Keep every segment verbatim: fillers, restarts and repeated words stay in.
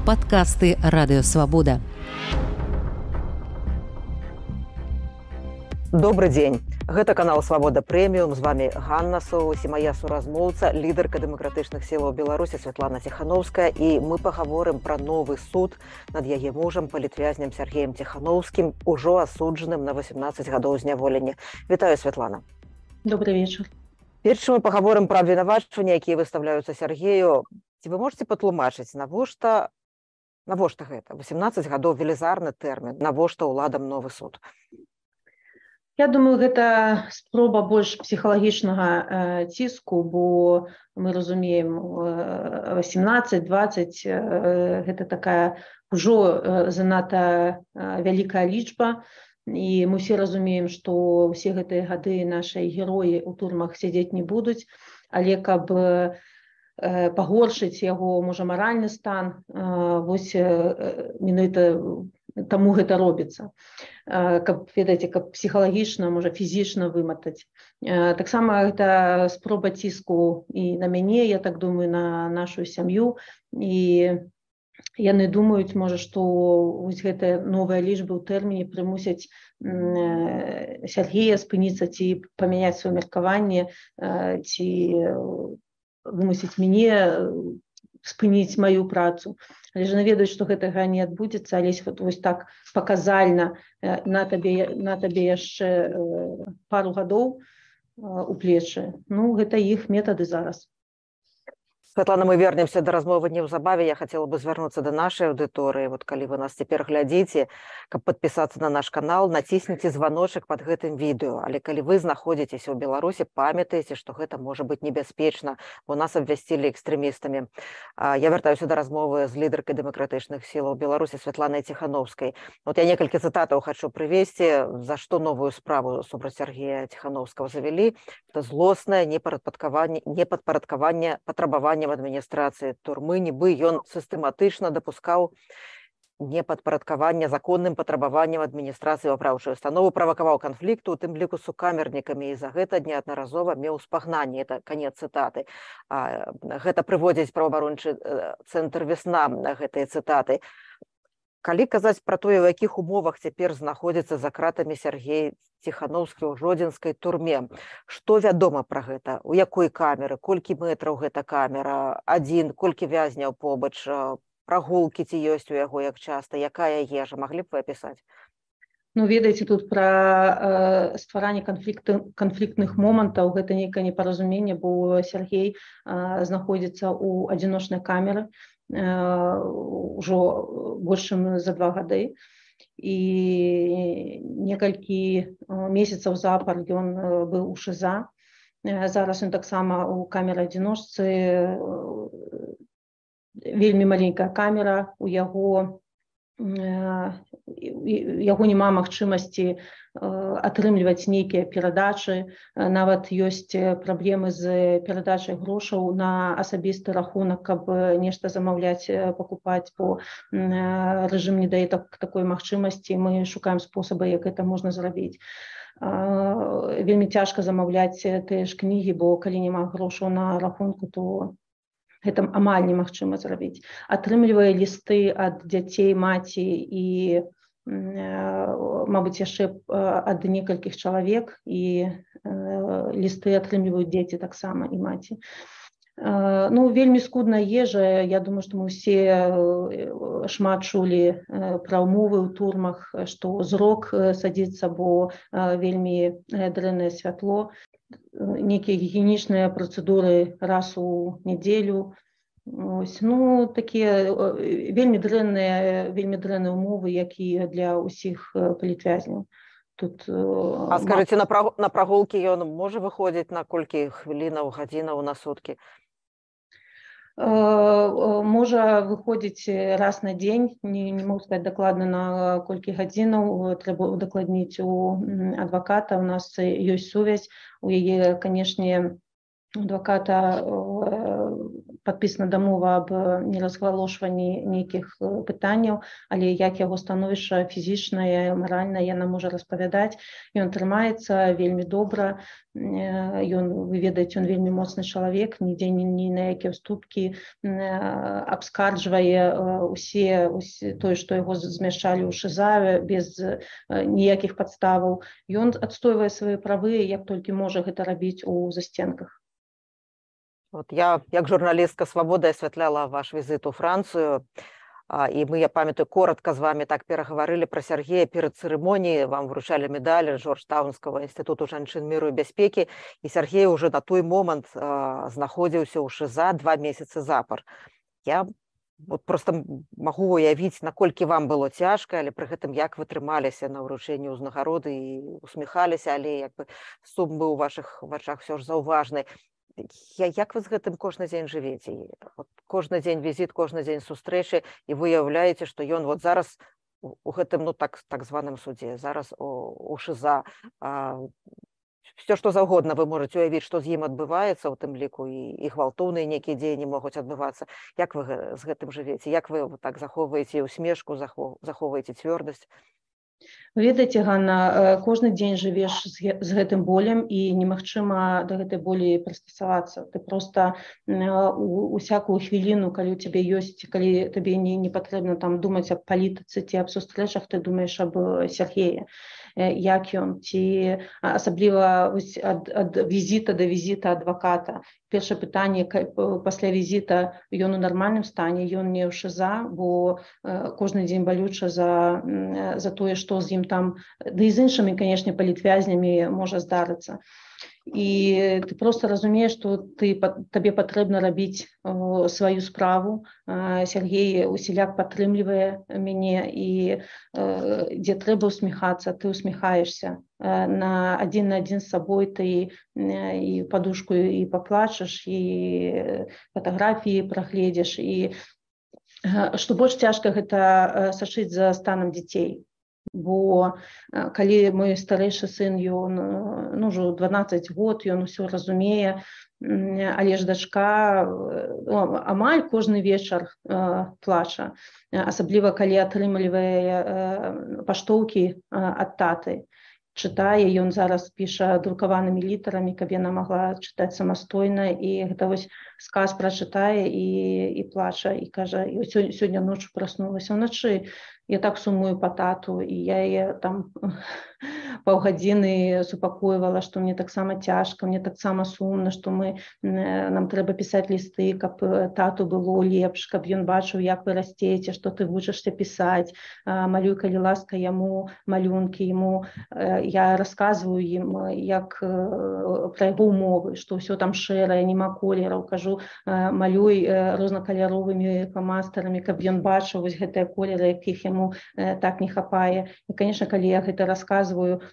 Падкасты Радыёвабода. Добры дзень. Гэта канал Свабода Прэміум. З вами Ганна Соус і моя суразмоўца, лідарка дэмакратычных сілаў Беларусі Святлана Ціхановская. І мы пагаворым пра новы суд над яе мужам, палітвязням Сергеем Ціхановскім, ужо асуджаным на восемнадцаць гадоў зняволення. Вітаю, Святлана. Добрый вечер. Перш чым мы пагаворым пра абвінавачванні, якія выстаўляюцца Сергею, ці вы можаце патлумачыць, навошта навошта гэта? восемнадцаць гадоў велізарны тэрмін, навошта ўладам новы суд? Я думаю, гэта спроба больш псіхалагічнага э, ціску, бо мы разумеем э, восемнадцаць двадцаць э, гэта такая ўжо э, занадта э, вялікая лічба, і мы все разумеем, што ўсе гэтыя гады нашыя героі ў турмах сядзець не будуць, але каб э, пагоршыць яго, можа, маральны стан, э, вось э, менавіта таму гэта робіцца, каб, ведаеце, каб псіхалагічна, можа, фізічна выматаць. Таксама гэта спроба ціску і на мяне, я так думаю, на нашу сям'ю, і яны думаюць, можа, што вось гэтыя новыя лічбы ў тэрміне прымусяць Сергея спыніцца ці памяняць сваё меркаванне, ці вымусіць мяне спыніць маю працу. Але ж наведаюць, што гэтага не адбудзецца, але вот, вось так паказальна на табе, на табе яшчэ пару гадоў у плечы. Ну, гэта іх метады зараз. Святлана, мы вернемся да размовы неўзабаве. Я хацела бы звярнуцца да нашай аўдыторыі. Вот калі вы нас цяпер глядзіце, каб падпісацца на наш канал, націсніце званочак пад гэтым відэо. Але калі вы знаходзіцеся ў Беларусі, памятаеце, што гэта можа быць небяспечна, бо нас абвясцілі экстрэмістамі. Я вяртаюся да размовы з лідаркай дэмакратычных сілаў Беларусі Святланай Ціхановскай. Вот я некалькі цытатаў хачу прывесці, за што новую справу супраць Сергея Ціхановскага завялі. Это злоснае непадпарадкаванне, непадпарадкаванне патрабавання в адміністрацыі турмы, нібы ён сістэматычна дапускаў непадпарадкаванне законным патрабаванням адміністрацыі ў апраўчую установу, правакаваў канфлікту, у тым ліку з сукамернікамі, і за гэта неаднаразова меў спагнанне. Это канец цытаты. А, гэта прыводзіць праваабарончы цэнтр «Весна» гэтыя цытаты. Калі казаць пра тое, у якіх умовах цяпер знаходзіцца за кратамі Сергей Ціхановскі ў жодзінскай турме, што вядома пра гэта? У якой камеры? Колькі мэтраў гэта камера? Адзін? Колькі вязняў побач? Прагулкі ці ёсць у яго, як часта? Якая ежа? Маглі б вы апісаць? Ну, ведаеце, тут пра э, стваранне канфліктных момантаў, гэта нейкае непаразуменне, бо Сергей э, знаходзіцца ў адзіночнай камеры ўжо больш чым за два гады, і некалькі месяцаў запар ён быў у ШИЗА. Зараз ён таксама ў камеры адзіночцы, вельмі маленькая камера, у яго яго няма магчымасці атрымліваць нейкія перадачы, нават ёсць праблемы з перадачай грошаў на асабісты рахунак, каб нешта замаўляць, пакупаць, бо рэжым не дае так, такой магчымасці, мы шукаем спосабы, як гэта можна зрабіць. Вельмі цяжка замаўляць тыя ж кнігі, бо калі няма грошаў на рахунку, то гэта амаль немагчыма зрабіць. Атрымлівае лісты ад дзяцей маці і, мабыць, яшчэ ад некалькіх чалавек, і лісты атрымліваюць дзеці таксама і маці. Ну, вельмі скудная ежа. Я думаю, што мы ўсе шмат чулі пра ўмовы ў турмах, што зрок садзіцца, бо вельмі дрэннае святло. Некія гігіенічныя працэдуры раз у нядзелю. Ось, ну, такія вельмі дрэнныя, вельмі дрэнныя умовы, як і для ўсіх палітвязняў. Тут, а скажыце, на, праг... на прагулкі ён можа выходзіць на колькі хвілінаў, гадзінаў на суткі? Можа выходзіць раз на дзень, не, не могу сказаць дакладна на колькі гадзінаў, трэба удакладніць у адваката, у нас ёсць сувязь, у яе, канешне, адваката падпісана дамова аб неразгалошванні нейкіх пытанняў, але як яго становішча фізічнае, маральнае, яна можа распавядаць. Ён трымаецца вельмі добра, ён, вы ведаеце, ён вельмі моцны чалавек, нідзе ні, ні на якія ўступкі, абскарджвае усе, усе тое, што яго змяшчалі ў ШИЗА без ніякіх падставаў. Ён адстойвае свае правы, як толькі можа гэта рабіць у застенках. Вот я, як журналістка «Свабоды», асвятляла ваш візит у Францыю, і мы, я памятаю, коротко з вами так пераговорили про Сергея перед церемонией, вам вручали медаль Джорджтаунского института жанчын миру и бяспекі, и Сергей уже на той момент э, знаходзіўся ў ШИЗА два месяцы запар. Я вот просто могу уявіць, наколькі вам было цяжка, але пры гэтым як вы трымаліся на ўручэнні ўзнагароды і усміхаліся, але як бы сум быў у вашых вачах все ж заўважны. Я, як вы з гэтым кожны дзень жывеце? Вот кожны дзень візіт, кожны дзень сустрэчы, і вы уяўляеце, што ён вот зараз у гэтым, ну, так, так званым судзе, зараз у, у ШИЗА. А, все, што заўгодна вы можаце уявіць, што з ім адбываецца, у тым ліку і, і гвалтоўныя нейкія дзеянні могуць адбывацца. Як вы з гэтым жывеце? Як вы так захоўваеце усмешку, захоўваеце цвёрдасць? Ведаеце, Ганна, кожны дзень жывеш з гэтым болем і немагчыма да гэтай болі прыстасавацца. Ты проста у всякую хвіліну, калі у цябе ёсць, калі табе не, не патрэбна там думаць аб палітыцы ці аб сустрэчах, ты думаеш аб Сергеі, як ён, ці асабліва ад, ад візіта да візіта адваката. Першае пытанне, пасля візіта ён у нармальным стане, ён не ў ШИЗА, бо кожны дзень балюча за, за тое, што з ім там, да і з іншымі, канешне, палітвязнямі можа здарыцца. І ты просто разумееш, што ты, табе патрэбна рабіць о, сваю справу. Сергей усіляк падтрымлівае мяне, і э, дзе трэба усміхацца, ты усміхаешся. На адзін на адзін з сабой ты і падушку і паплачаш, і фатаграфіі прагледзіш. І што больш цяжка, гэта сачыць за станам дзяцей. Бо калі мой старэйшы сын, ён, ну, ўжо дванаццаць год, ён усё разумее, але ж дачка ну, амаль кожны вечар э, плача, асабліва калі атрымлівае паштоўкі ад таты. Чытае, ён зараз піша друкаванымі літарамі, каб яна магла чытаць самастойна, і гэта вось сказ прачытае і, і плача, і кажа, і сёння ноччу праснулася ўначы. Я так сумую па тату, і я яе там паўгадзіны супакойвала, што мне таксама цяжка, мне таксама сумна, што мы, нам трэба пісаць лісты, каб тату было лепш, каб ён бачыў, як вы расцеце, што ты вучышся пісаць, малюй, калі ласка, яму малюнкі, яму. Я расказваю ім, як пра яго ўмовы, што ўсё там шэрае, нема колераў, кажу, малюй рознакаляровымі фламастарамі, каб ён бачыў вось гэтыя колеры, якіх яму так не хапае. І, канешне, калі я гэта расказваю,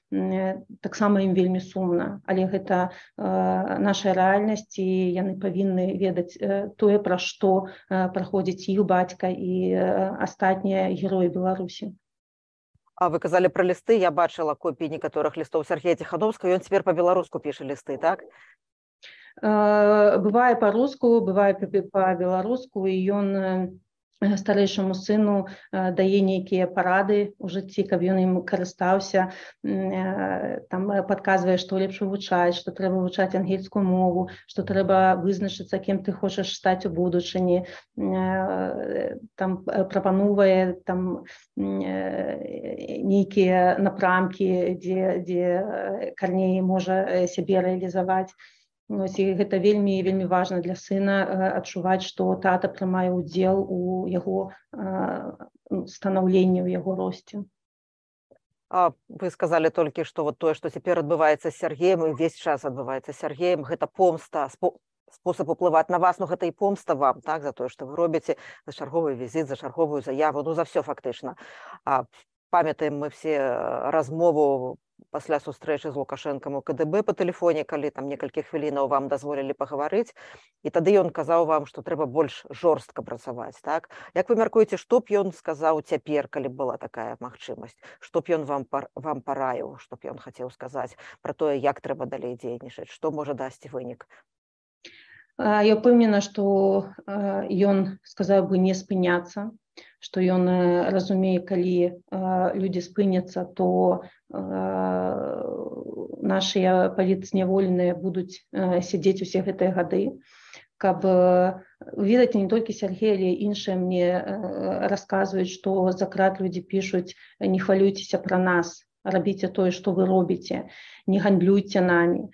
таксама ім вельмі сумна, але гэта наша рэальнасць, і яны павінны ведаць тое, пра што праходзіць іх бацька і астатнія героі Беларусі. А вы казалі пра лісты, я бачыла копіі некаторых лістоў Сергея Ціхановскага, ён цяпер па-беларуску піша лісты, так? Бывае па-руску, бывае па-беларуску, і ён старэйшаму сыну дае нейкія парады ў жыцці, каб ён ім карыстаўся, там падказвае, што лепш вывучаць, што трэба вывучаць ангельскую мову, што трэба вызначыцца, кім ты хочаш стаць у будучыні, там прапановвае там нейкія напрамкі, дзе, дзе Карней можа сябе рэалізаваць. Ось, і гэта вельмі вельмі важна для сына адчуваць, што тата прымае ўдзел у яго станаўленні, у яго росце. А вы сказалі толькі, што вот тое, што цяпер адбываецца з Сергеем, і ўвесь час адбываецца з Сергеем, гэта помста, спосаб уплываць на вас, ну гэта і помста вам, так, за тое, што вы робіце, за чарговы візіт, за чарговую заяву, ну за все фактычна. А памятаем мы все размову пасля сустрэчы з Лукашэнкам у КДБ па тэлефоне, калі там некалькі хвілінаў вам дазволілі пагаварыць, і тады ён казаў вам, што трэба больш жорстка працаваць, так? Як вы мяркуеце, што б ён сказаў цяпер, калі б была такая магчымасць? Што б ён вам, вам параіў, што б ён хацеў сказаць пра тое, як трэба далей дзейнічаць, што можа дасці вынік? Я ўпэўнена, што ён сказаў бы не спыняцца, што ён разумее, калі людзі спыняцца, то нашыя палітзняволеныя будуць сядзець усе гэтыя гады. Каб ведаць, не толькі Сергей, але іншыя мне расказваюць, што за крат людзі пішуць: не хвалюйцеся пра нас, рабіце тое, што вы робіце, не гандлюйце намі.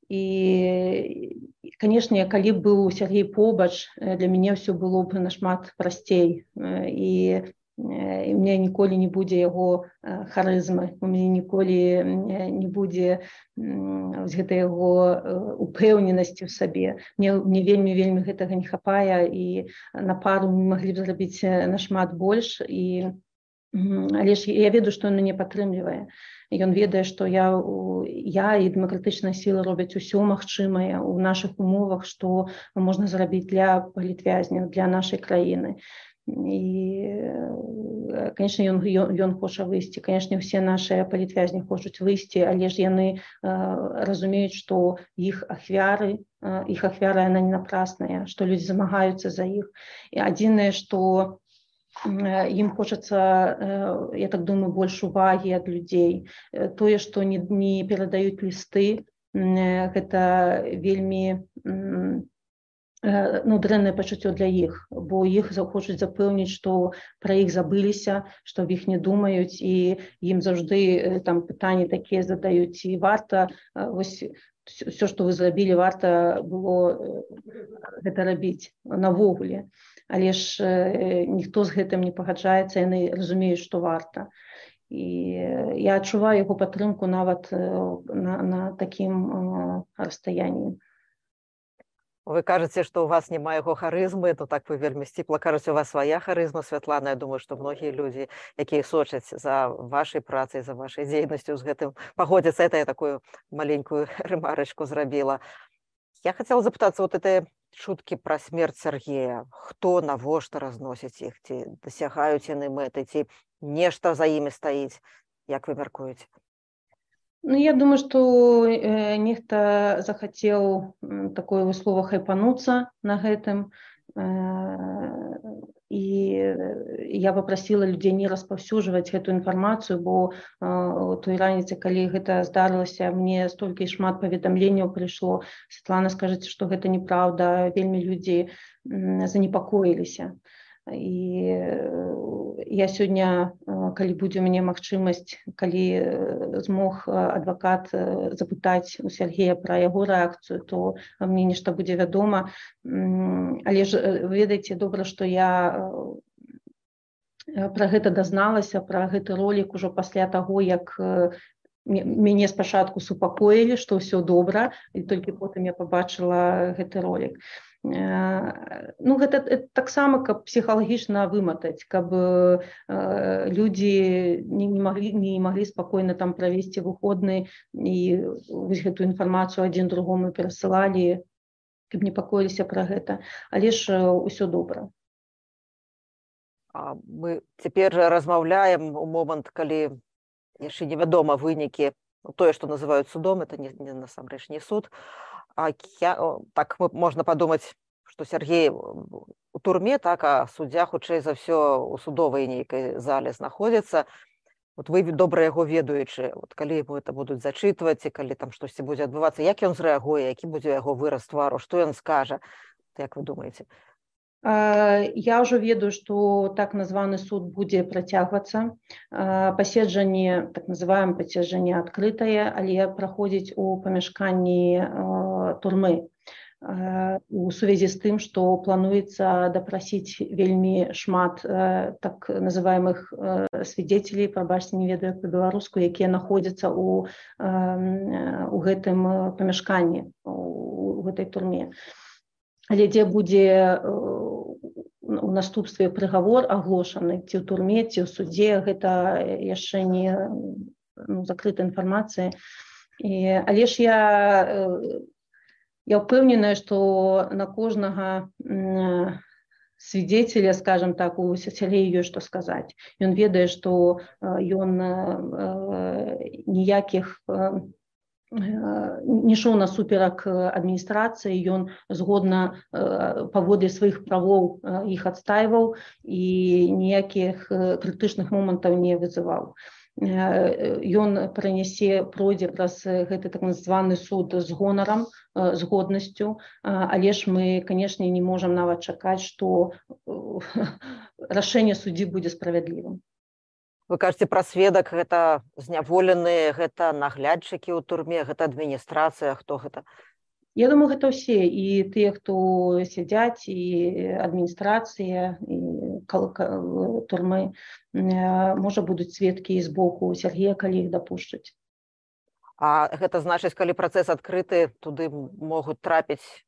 І, канешне, калі б быў Сергей побач, для мяне ўсё было б нашмат прасцей. І, і мне ніколі не будзе яго харызмы, у мяне ніколі не будзе гэтай яго упэўненасці ў сабе. Мне, мне вельмі-вельмі гэтага не хапае, і на пару мы маглі б зрабіць нашмат больш. І, але ж я ведаю, што ён мяне падтрымлівае. Ён ведае, што я, я і дэмакратычныя сілы робяць усё магчымае ў нашых умовах, што можна зрабіць для палітвязняў, для нашай краіны. І, канешне, ён, ён, ён хоча выйсці. Канешне, ўсе нашыя палітвязні хочуць выйсці, але ж яны разумеюць, што іх ахвяры, іх ахвяра, яна не напрасная, што людзі змагаюцца за іх. І адзінае, што ім хочацца, я так думаю, больш увагі ад людзей. Тое, што не, не перадаюць лісты, гэта вельмі ну, дрэннае пачуццё для іх, бо іх хочуць запэўніць, што пра іх забыліся, што аб іх не думаюць, і ім заўжды там пытанні такія задаюць: і варта, вось, все, што вы зрабілі, варта было гэта рабіць навогуле. Але ж ніхто з гэтым не пагаджаецца, яны разумеюць, што варта. І я адчуваю яго падтрымку нават на, на такім расстаянні. Вы кажаце, што ў вас няма яго харызмы, то так вы вельмі сціпла кажаце, у вас свая харызма, Святлана. Я думаю, што многія людзі, якія сочаць за вашай працай, за вашай дзейнасцю, з гэтым пагодзяцца. Это я такую маленькую рэмарачку зрабіла. Я хацела запытацца, вот это шуткі пра смерць Сергея. Хто, навошта разносіць іх? Ці дасягаюць яны мэты? Ці нешта за імі стаіць? Як вы мяркуеце? Ну, я думаю, што э, нехта захацеў такое слово хайпануцца на гэтым. Э, і я папрасіла людзей не распаўсюджваць гэту інфармацыю, бо э, той раніцы, калі гэта здарылася, мне столькі шмат паведамленняў прыйшло. Святлана, скажыце, што гэта неправда, вельмі людзі занепакоіліся. І я сёння, калі будзе у мяне магчымасць, калі змог адвакат запытаць у Сергея пра яго рэакцыю, то мне нешта будзе вядома. Але ж ведаеце, добра, што я пра гэта дазналася, пра гэты ролік ужо пасля таго, як мяне спачатку супакоілі, што ўсё добра, і толькі потым я пабачыла гэты ролік. Ну, гэта, гэта таксама, каб псіхалагічна выматаць, каб э, людзі не, не, маглі, не маглі спакойна там правесці выходны і вось гэту інфармацыю адзін другому перасылалі, каб непакоіліся пра гэта. Але ж усё добра. А мы цяпер размаўляем у момант, калі яшчэ невядома вынікі, тое, што называюць судом, это не, не насамрэч не суд. А я, так можна падумаць, што Сергей у турме, так, а суддзя, хутчэй за ўсё, у судовай нейкай зале знаходзіцца. Вот вы добра яго ведаючы, вот калі ему это будуць зачытваць, і калі там штосьці будзе адбывацца, як ён зрэагуе, які будзе яго выраз твару, што ён скажа, як вы думаеце? Я ўжо ведаю, што так названы суд будзе працягвацца. Паседжанне, так называем паседжанне адкрытае, але праходзіць у памяшканні турмы. У сувязі з тым, што плануецца дапрасіць вельмі шмат так называемых свидетелей, прабачце, не ведаю па-беларуску, якія находзяцца ў, у гэтым памяшканні, у гэтай турме. Але дзе будзе у наступстве прыгавор аглошаны, ці ў турме, ці ў судзе, гэта яшчэ не ну, закрытая інфармацыя. І, але ж я, я ўпэўненая, што на кожнага свидетеля, скажем так, у Сергея ёсць што сказаць. Ён ведае, што ён ніякіх не ішоў насуперак адміністрацыі, ён згодна паводле сваіх правоў іх адстайваў і ніякіх крытычных момантаў не вызываў. Ён пранясе, пройдзе праз гэты так званы суд з гонарам, з годнасцю, але ж мы, канешне, не можам нават чакаць, што рашэнне суддзі будзе справядлівым. Вы кажаце пра сведак, гэта зняволеныя, гэта наглядчыкі ў турме, гэта адміністрацыя, хто гэта? Я думаю, гэта ўсе, і тыя, хто сядзяць, і адміністрацыя, і турмы. Можа, будуць сведкі з боку Сергея, калі іх дапушчаць. А гэта значыць, калі працэс адкрыты, туды могуць трапіць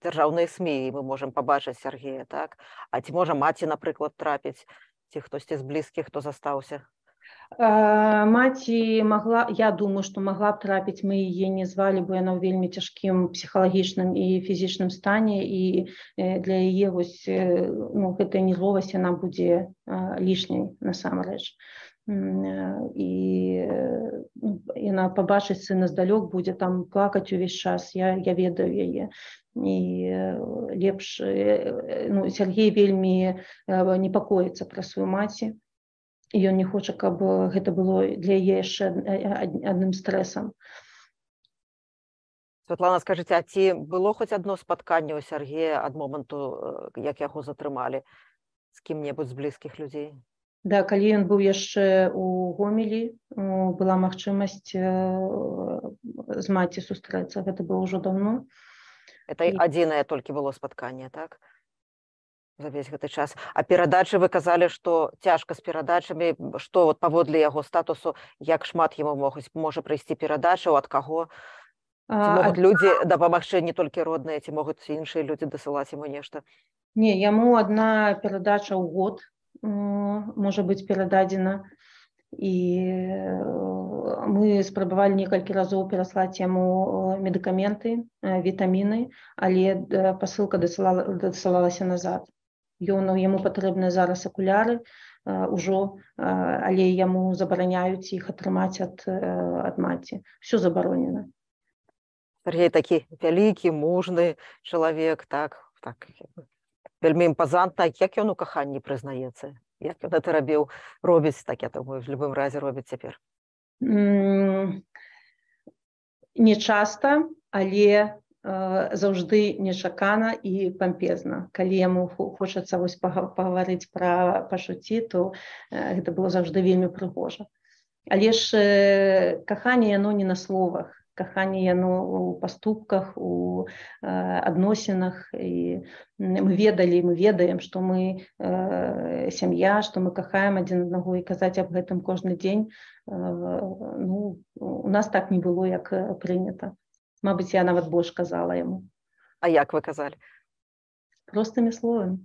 дзяржаўныя СМІ, і мы можам пабачыць Сергея, так? А ці можа маці, напрыклад, трапіць? Ці хтосьці з блізкіх, хто застаўся? Маці магла, я думаю, што магла б трапіць, мы яе не звалі, бо яна ў вельмі цяжкім псіхалагічным і фізічным стане, і для яе вось, ну, гэтая нервовасць, яна будзе лішняй насамрэч. І яна пабачыць сына здалёк, будзе там плакаць увесь час, я, я ведаю яе. І лепш, ну, Сергей вельмі непакоіцца пра сваю маці, і ён не хоча, каб гэта было для яе яшчэ адным стрэсам. Святлана, скажыце, а ці было хоць адно спатканне ў Сергея ад моманту, як яго затрымалі, з кім-небудзь з блізкіх людзей? Да, калі ён быў яшчэ ў Гомелі, была магчымасць з маці сустрэцца, гэта было ўжо даўно. Это адзінае толькі было спатканне, так? За весь гэты час. А перадачы вы казалі, што цяжка з перадачамі, што вот паводле яго статусу, як шмат яму могуць, можа прыйсці перадачаў, ад каго? Ці могуць людзі дапамагчы не толькі родныя, ці могуць іншыя людзі дасылаць яму нешта? Не, яму адна перадача ў год можа быць перададзена. І мы спрабавалі некалькі разоў пераслаць яму медыкаменты, вітаміны, але пасылка дасылалася назад. Ён, яму патрэбныя зараз акуляры ўжо, але яму забараняюць іх атрымаць ад, ад маці. Всё забаронена. Сергей такі вялікі, мужны чалавек, так, так, вельмі імпазантна. Як ён у каханні прызнаецца? Як ён гэта рабіў, робіць, так, я думаю, в любым разе робіць цяпер? Не часта, але заўжды нечакана і пампезна. Калі яму хочацца вось пагаварыць пра пачуцці, то гэта было заўжды вельмі прыгожа. Але ж каханне яно не на словах. Каханне яно ў паступках, у адносінах. І мы ведалі, мы ведаем, што мы сям'я, што мы кахаем адзін аднаго, і казаць аб гэтым кожны дзень, ну, у нас так не было, як прынята. Мабыць, я нават больш казала яму. А як вы казалі? Простымі словамі.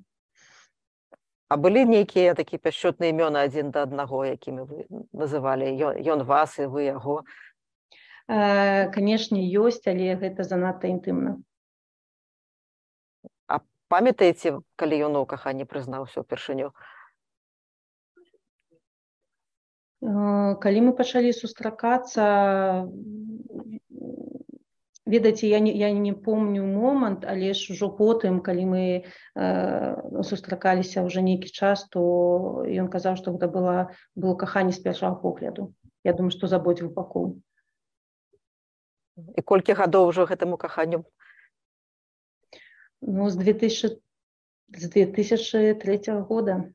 А былі нейкія такія пяшчотныя імёны адзін да аднаго, якімі вы называлі? Ён вас і вы яго? Канешне, ёсць, але гэта занадта інтымна. А памятаеце, калі ён у каханні прызнаўся ўпершыню? Калі мы пачалі сустракацца, ведаеце, я не, я не помню момант, але ж ужо потым, калі мы э, сустракаліся ўжо нейкі час, то ён казаў, што гэта было, было каханне з першага погляду. Я думаю, што з абодвух бакоў. І колькі гадоў ўжо гэтаму каханню? Ну, з две тысячи третьего года.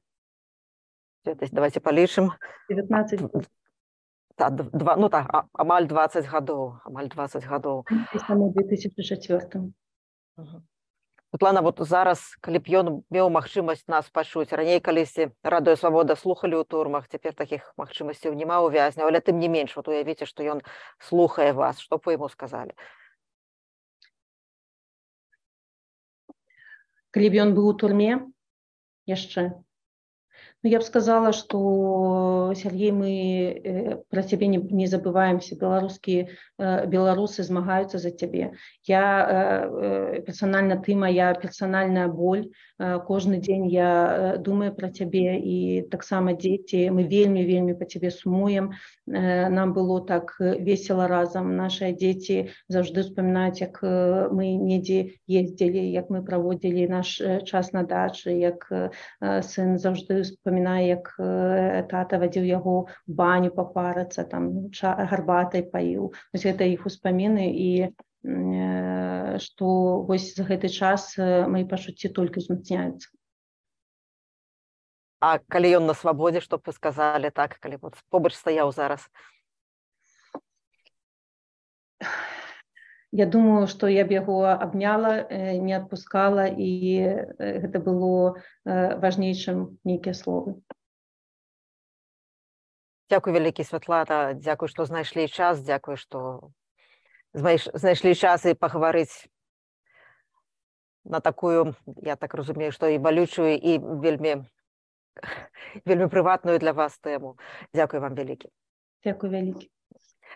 Давайте палічым. девятнадцать год. Та, два, ну так, а, амаль двадцать гадоў, амаль двадцать гадоў. Саму две тысячи четвёртым. Святлана, вот зараз, калі б ён меў магчымасць нас пачуць, раней калісьці Радыё Свабода слухалі ў турмах, цяпер такіх магчымасцяў няма ў вязняў, але тым не менш, вот уявіце, што ён слухае вас, што б вы яму сказалі? Калі б ён быў у турме яшчэ, Ну, я бы сказала, что, Сергей, мы про тебя не, не забываемся. Белорусские, белорусы змагаются за тебя. Я персонально, ты моя персональная боль. Каждый день я думаю про тебя, и так само дети. Мы вельми-вельми по тебе сумуем. Нам было так весело разом. Наши дети завжди вспоминают, как мы недзе ездили, как мы проводили наш час на даче, як сын завжди вспоминает, як тата вадзіў яго в баню папарацца, там гарбатай паіў. Вось гэта іх успаміны, і што вось за гэты час мои пачуцці толькі узмацняюцца. А калі ён на свабодзе, што б вы сказалі, так, калі вот побач стаяў зараз? Я думаю, што я б яго абняла, не адпускала, і гэта было важней, чым нейкія словы. Дзякуй вялікі, Святлана, дзякуй, што знайшлі час, дзякуй, што знайшлі час і пагаварыць на такую, я так разумею, што і балючую, і вельмі, вельмі прыватную для вас тэму. Дзякуй вам вялікі. Дзякуй вялікі.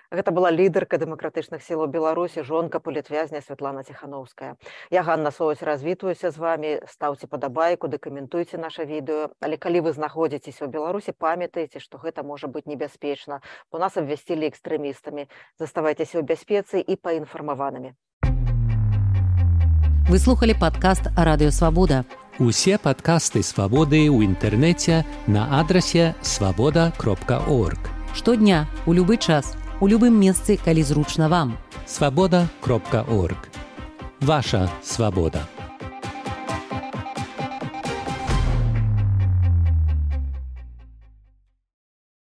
Гэта была лідарка дэмакратычных сілаў Беларусі, жонка палітвязня Святлана Ціхановская. Я, Ганна Соваць, развітваюся з вамі. Стаўце падабайку, дэкаментуйце наша відэо. Але калі вы знаходзіцеся ў Беларусі, памятайце, што гэта можа быць небяспечна, бо нас абвясцілі экстрэмістамі. Заставайцеся ў бяспецы і паінфармаванымі. Вы слухали падкаст «Радыё Свабода». Усе падкасты «Свабоды» ў інтэрнэце на адрасе свабода кропка орг. Штодня, у любы час, у любым месцы, калі зручна вам. свабода кропка орг. Ваша свабода.